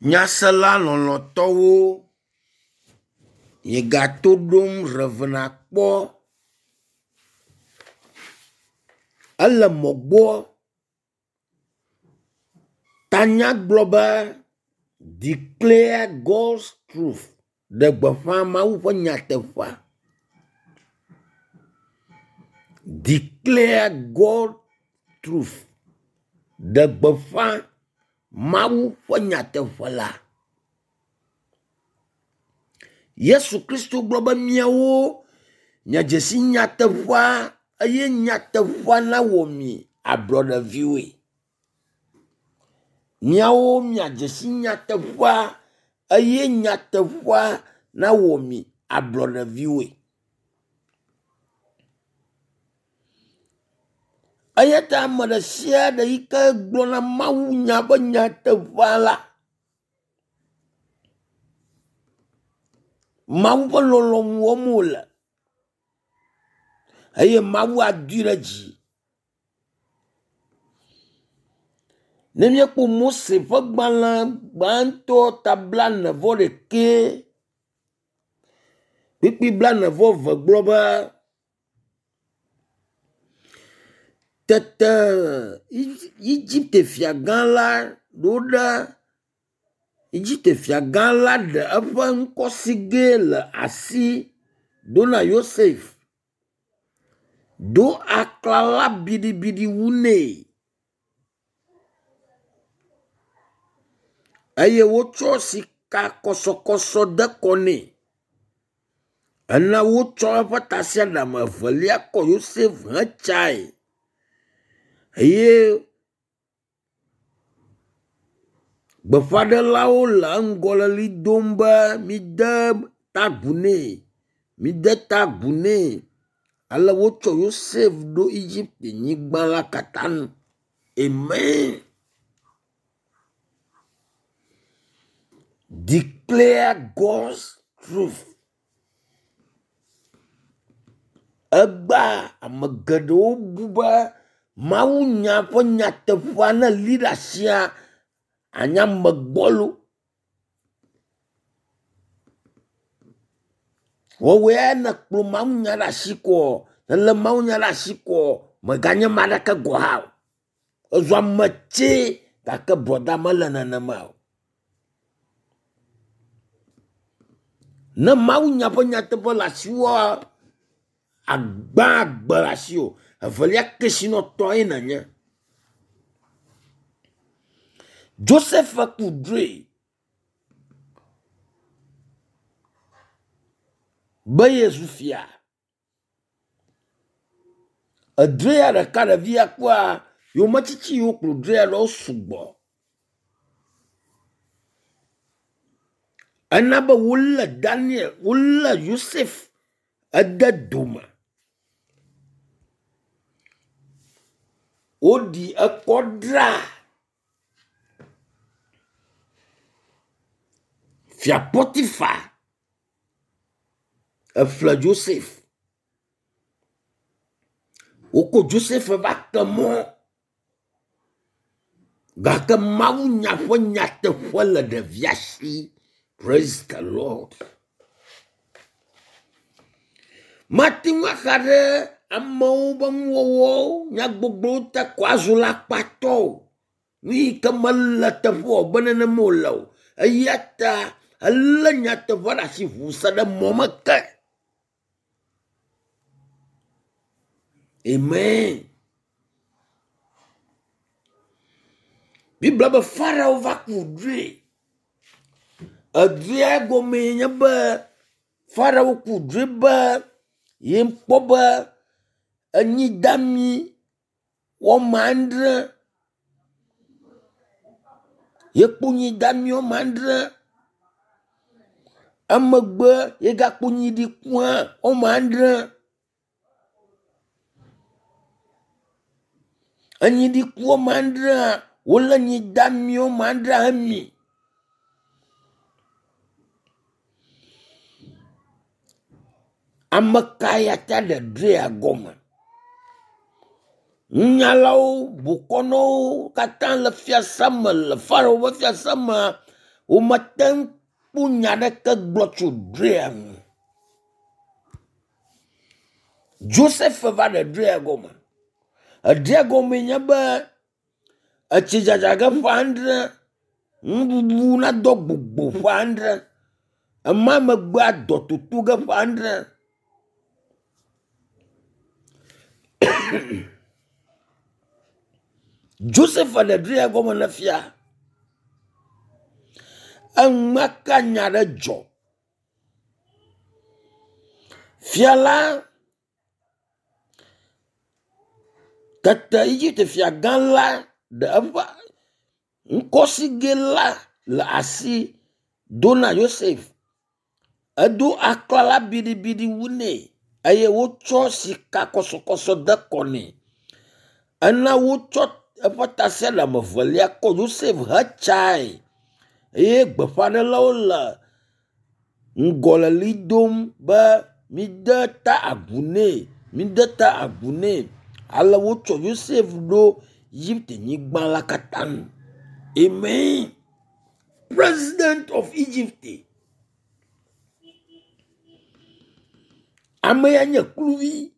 Nyasela lɔlɔ̃tɔwo, miegato ɖom Rev. Akpɔ. Ele mɔ gbɔ. Tanya gblɔ be declare God's truth. Ɖe gbeƒã Mawu ƒe nyateƒea. Declare God truth. Ɖe gbeƒã Mawu ƒe nyateƒe la. Yesu Kristo gblɔ be miawo miadze si nyateƒea eye nyateƒea nawɔ mi ablɔɖeviwoe. Miawo miadze si nyateƒea eye nyateƒea nawɔ mi ablɔɖeviwoe. Eya ta ame ɖe sia ɖe yi ke gblɔna mawunya ƒe nyateƒea la, Mawu ƒe lɔlɔ̃nu wɔm wòle eye Mawu adoe ɖe dzi. Ne míekpɔ Mose ƒe gbalẽ gbãtɔ ta blaene vɔ ɖekɛ kpukpui blaene vɔ eve gblɔ be, Tete Egipte fiagã la ɖo ɖe Egipte fiagã la ɖe eƒe ŋkɔsigɛ le asi ɖo na Yosef, do aklala biɖibiɖi wu nɛ eye wotsɔ sikakɔsɔkɔsɔ de kɔ nɛ. Ena wotsɔ eƒe tasiaɖam evelia kɔ Yosef hetsae eye gbeƒãɖelawo le eŋgɔ le ʋli dom be mide ta agu nɛ, mide ta agu nɛ. Ale wotsɔ Yosef ɖo Egipte nyigba la katã nu. Amen. Declare God's truth. Egbea ame geɖewo bu be mawunya ƒe nyateƒea ne èli ɖe asia, anye ame gbɔlo. Wɔwɔe ne èkplɔ mawunya ɖe asi koa, èlé mawunya ɖe asi koa, mèganye ame aɖeke gɔ̃ hã o. Èzu ame tsɛ gake brɔda mele nenema o. Ne mawunya ƒe nyateƒe le asiwòa, agbã agbe le asiwò. Evelia, kesinɔtɔ ye nènye. Joseph ku drɔ̃e be yezu fia. Edrɔ̃ea ɖeka ɖevia kpɔa yometiti yiwo kplɔ drɔ̃ea ɖo sugbɔ. Ena be wolé Daniel, wolé Yosef ede dome. Woɖi ekɔ dra Fia Potifa eƒle Joseph. Woko Joseph va te mɔ gake mawunya ƒe nyateƒe le ɖevia si. Praise the Lord. Mate ŋu axa ɖe amewo ƒe nuwɔwɔwo, nyagbɔgblɔwo ta ko azu alakpatɔ o. Nu yi ke mele teƒe o be nenema wòle o. Eya ta elé nyateƒea ɖe asi ʋu se ɖe mɔ me ke. Amen. Biblia be Farao va ku drɔ̃e. Edrɔ̃ea gɔmee nye be Farao ku drɔ̃e be yekpɔ be enyi dami woame adre yekpɔ nyi dami woame adre emegbe yegakpɔ nyi ɖiku hã woame adre. Enyi ɖiku woame adrea wolé nyi dami woame adrea hemi. Ame kae ate ɖe drɔ̃ea gɔme? Nunyalawo, bokɔnɔwo katã le fiasa me le Farao ƒe fiasa mea, Womete ŋu kpɔ nya aɖeke gblɔ tso drɔ̃ea ŋu. Joseph va ɖe drɔ̃ea gɔme. Edrɔ̃ea gɔmee nye be etsi dzadza ge ƒe adre, nuɖuɖu nado gbogbo ƒe adre, ema megbea dɔ toto ge ƒe adre. Joseph ɖe drɔ̃ea gɔme ne fia. Enumake nya ɖe dzɔ. Fia la tete Egipte fiagã la ɖe eƒe ŋkɔsigɛ la le asi do na Yosef. Edo aklala biɖibiɖi wu nɛ eye wotsɔ sika kɔsɔkɔsɔ de kɔ nɛ. Ena wotsɔ eƒe tasiaɖam evelia kɔ Yosef hetsae eye gbeƒãɖelawo le ŋgɔ le ʋli dom be mide ta agu nɛ, mide ta agu nɛ. Ale wotsɔ Yosef ɖo Egipte nyigba la katã nu. Amen. President of Egypt. Ame ya nye kluvi,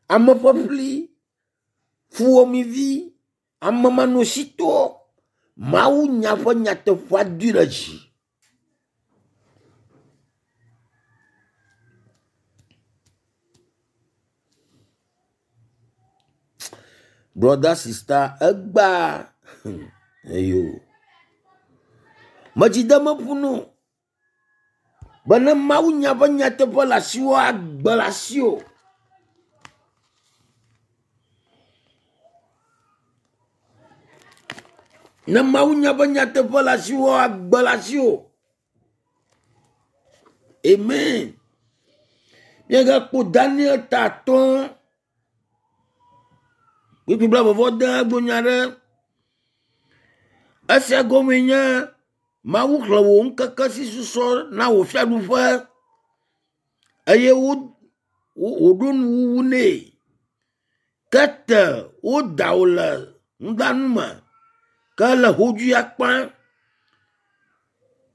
ame ƒeƒli, fuwɔamevi, amemanɔsitɔ. Mawu nya ƒe nyateƒea doe ɖe dzi. Brother sister egbea eyo. Medzi de meƒu no be ne Mawu nya ƒe nyateƒe le asiwò agbe le asiwò. Ne Mawu nya ƒe nyateƒe le asiwò agbe le asiwò. Amen. Míagakpɔ Daniel ta atɔ̃. Kpukpui blaeve vɔ ade gblɔ nya ɖe. Esia gɔmee nye Mawu xlẽ wò ŋkeke si susɔ na wò fiaɖuƒe eye wo wòɖo nuwuwu nɛ. Tete woda wò le nudanu me ke le hodzoe akpa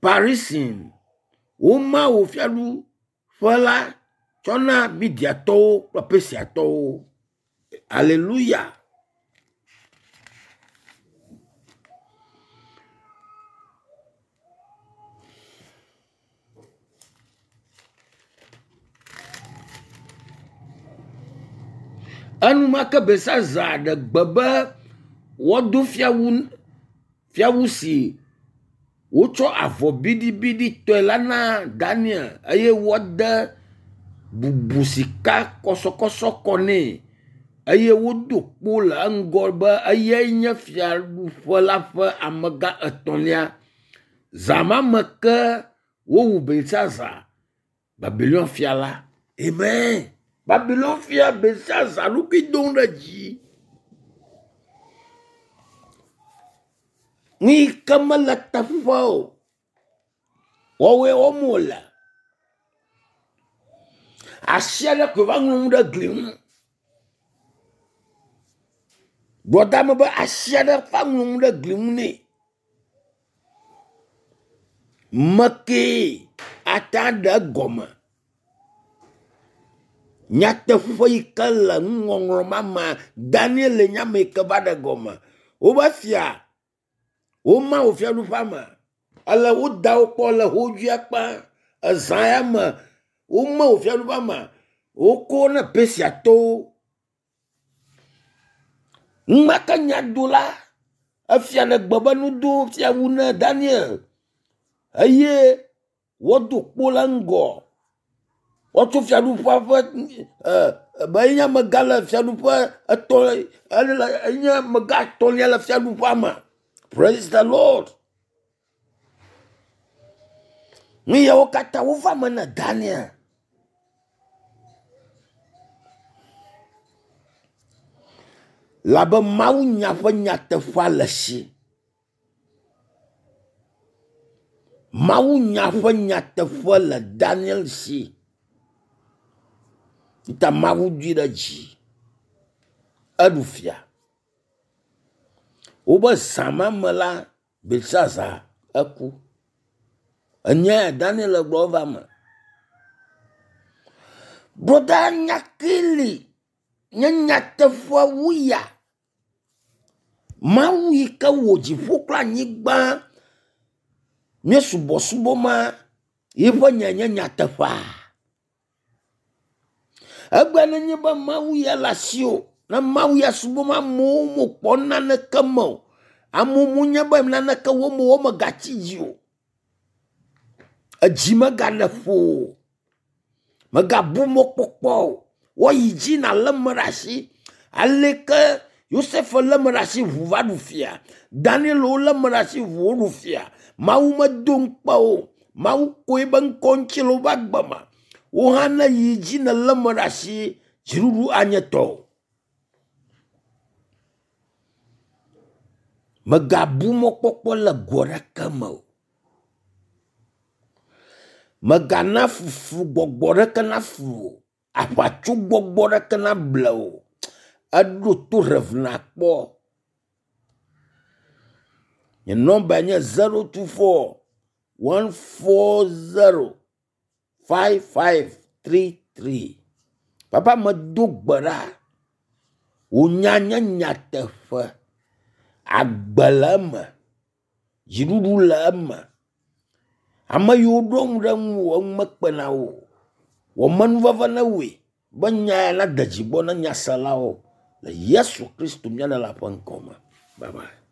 Parisin. Woma wò fiaɖuƒe la tsɔ na Midiatɔwo kple Persiatɔwo. Aleluya. Enumake Belsazar ɖe gbe be woado fiawu fiawu si wotsɔ avɔ biɖibiɖi tɔe la na Daniel eye woade bubu sika kɔsɔkɔsɔ kɔ nɛ eye wodo kpo le eŋgɔ be eyae nye fiaɖuƒe la ƒe amegã etɔ̃lia. Zã ma me ke wowu Belsazar, Babilon fia la. Amen. Babilon fia Belsazar ɖokui dom ɖe dzi. Nu yi ke mele teƒe o, woawoe wɔm wòle. Asi aɖe koe va ŋlɔ nu ɖe gli ŋu. Gbɔdame be asi aɖe va ŋlɔ nu ɖe gli ŋu nɛ. Mekee ate aɖe egɔme. Nyateƒe yi ke le nuŋɔŋlɔ ma mea, Daniel nye ame yi ke va ɖe gɔme. Wobe fia, woma wò fiaɖuƒea me. Ale woda wo kpɔ le hodzoea kpa. Ezã ya me, woma wò fiaɖuƒea me. Woko ne Persiatɔwo. Enumake nyadola efia ɖe gbe be nudo fiawu ne Daniel eye woado kpo le ŋgɔ. Woatso fiaɖuƒea ƒe be enye amegã le fiaɖuƒe etɔ̃ ele enye amegã etɔ̃lia le fiaɖuƒea me. Praise the Lord. Nu yawo katã wova me na Daniel. Labe Mawu nya ƒe nyateƒea le si. Mawu nya ƒe nyateƒe le Daniel si. Ta Mawu doe ɖe dzi. Eɖu fia. Wobe zã ma me la, Belsazar eku. Enya Daniel gblɔ va me. Broda nyakili nye nyateƒe wu ya. Mawu yi ke wɔ dziƒo kple anyigba nye subɔsubɔ ma yiƒe nya nye nyateƒea. Egbe nenye be Mawu ya le asiwò, ne Mawu ya subɔm amewo mekpɔ naneke me o. Amewo menye be naneke wɔm o, womegatsi dzi o. Edzi megale ƒo o. Megabu mɔkpɔkpɔ o. Woayi dzi nalé me ɖe asi. Aleke Yosef lé me ɖe asi ʋu va ɖu fia. Daniel wolé me ɖe asi ʋu woɖu fia. Mawu medo ŋukpe o. Mawu koe be ŋkɔ ŋuti le woƒe agbe me. Wo hã ne yi dzi nèlé me ɖe asi, dziɖuɖu anye tɔwò. Megabu mɔkpɔkpɔ le go aɖeke me o. Megana fufu gbɔgbɔ ɖeke naflu o. Aʋatso gbɔgbɔ ɖeke nable o. Eɖo to rev nakpɔ. Nye nɔmba nye 024 140 5533. Papa medo gbe ɖa. Wò nya nye nyateƒe. Agbe le eme. Dziɖuɖu le eme. Ame yiwo ɖo ŋu ɖe ŋuwò eŋu mekpena wo o. Wɔ menuveve ne woe be nya ya nade dzi gbɔ na nyaselawo le Yesu Kristo mía Ɖela ƒe ŋkɔ me. Bye bye.